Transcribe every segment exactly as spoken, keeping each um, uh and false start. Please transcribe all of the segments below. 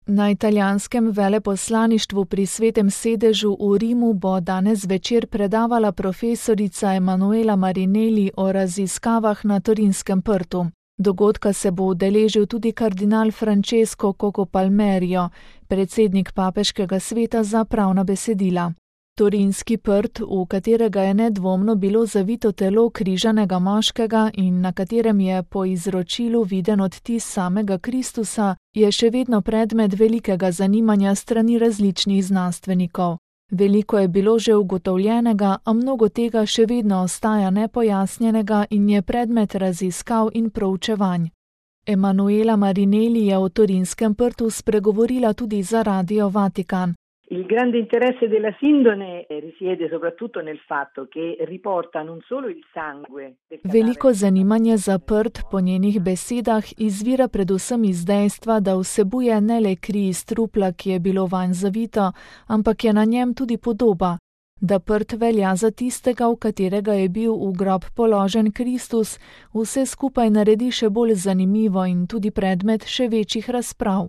Na italijanskem veleposlaništvu pri Svetem sedežu v Rimu bo danes zvečer predavala profesorica Emanuela Marinelli o raziskavah na Torinskem prtu. Dogodka se bo udeležil tudi kardinal Francesco Coco Palmerio, predsednik papeškega sveta za pravna besedila. Torinski prt, v katerega je nedvomno bilo zavito telo križanega moškega in na katerem je po izročilu viden odtis samega Kristusa, je še vedno predmet velikega zanimanja strani različnih znanstvenikov. Veliko je bilo že ugotovljenega, a mnogo tega še vedno ostaja nepojasnjenega in je predmet raziskav in proučevanj. Emanuela Marinelli je o Torinskem prtu spregovorila tudi za Radio Vatikan. Il grande interesse della sindone risiede soprattutto nel fatto che riporta non solo il sangue. Veliko zanimanje za prt po njenih besedah izvira predvsem iz dejstva, da vsebuje ne le kri iz trupla, ki je bilo vanj zavito, ampak je na njem tudi podoba. Da prt velja za tistega, v katerega je bil v grob položen Kristus, vse skupaj naredi še bolj zanimivo in tudi predmet še večjih razprav.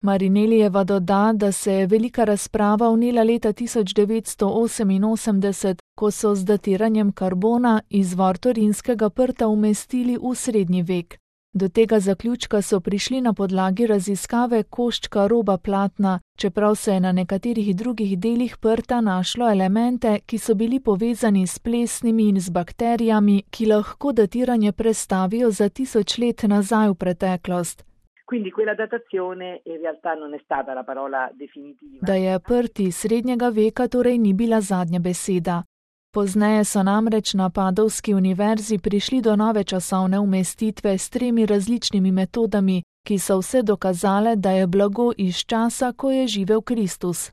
Marinelijeva doda, da se je velika razprava vnela leta tisoč devetsto oseminosemdeset, ko so z datiranjem karbona izvor Torinskega prta umestili v srednji vek. Do tega zaključka so prišli na podlagi raziskave koščka roba platna, čeprav se je na nekaterih drugih delih prta našlo elemente, ki so bili povezani s plesnimi in z bakterijami, ki lahko datiranje prestavijo za tisoč let nazaj v preteklost. Quindi quella datazione in realtà non è stata la parola definitiva. Da je prt iz srednjega veka torej ni bila zadnja beseda. Pozneje so namreč na Padovski univerzi prišli do nove časovne umestitve s tremi različnimi metodami, ki so vse dokazale, da je blago iz časa, ko je živel Kristus.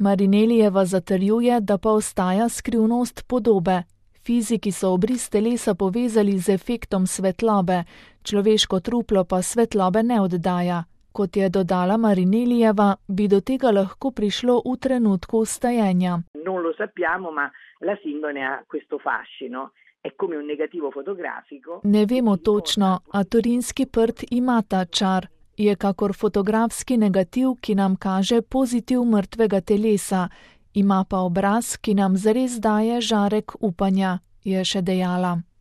Marinelijeva zatrjuje, da pa ostaja skrivnost podobe. Fiziki so obris telesa povezali z efektom svetlobe, človeško truplo pa svetlobe ne oddaja. Kot je dodala Marinelijeva, bi do tega lahko prišlo v trenutku vstajenja. Non lo sappiamo, ma la sindone ha questo fascino. È come un negativo fotografico. Ne vemo točno, a Torinski prt ima ta čar. Je kakor fotografski negativ, ki nam kaže pozitiv mrtvega telesa. Ima pa obraz, ki nam zares daje žarek upanja, je še dejala.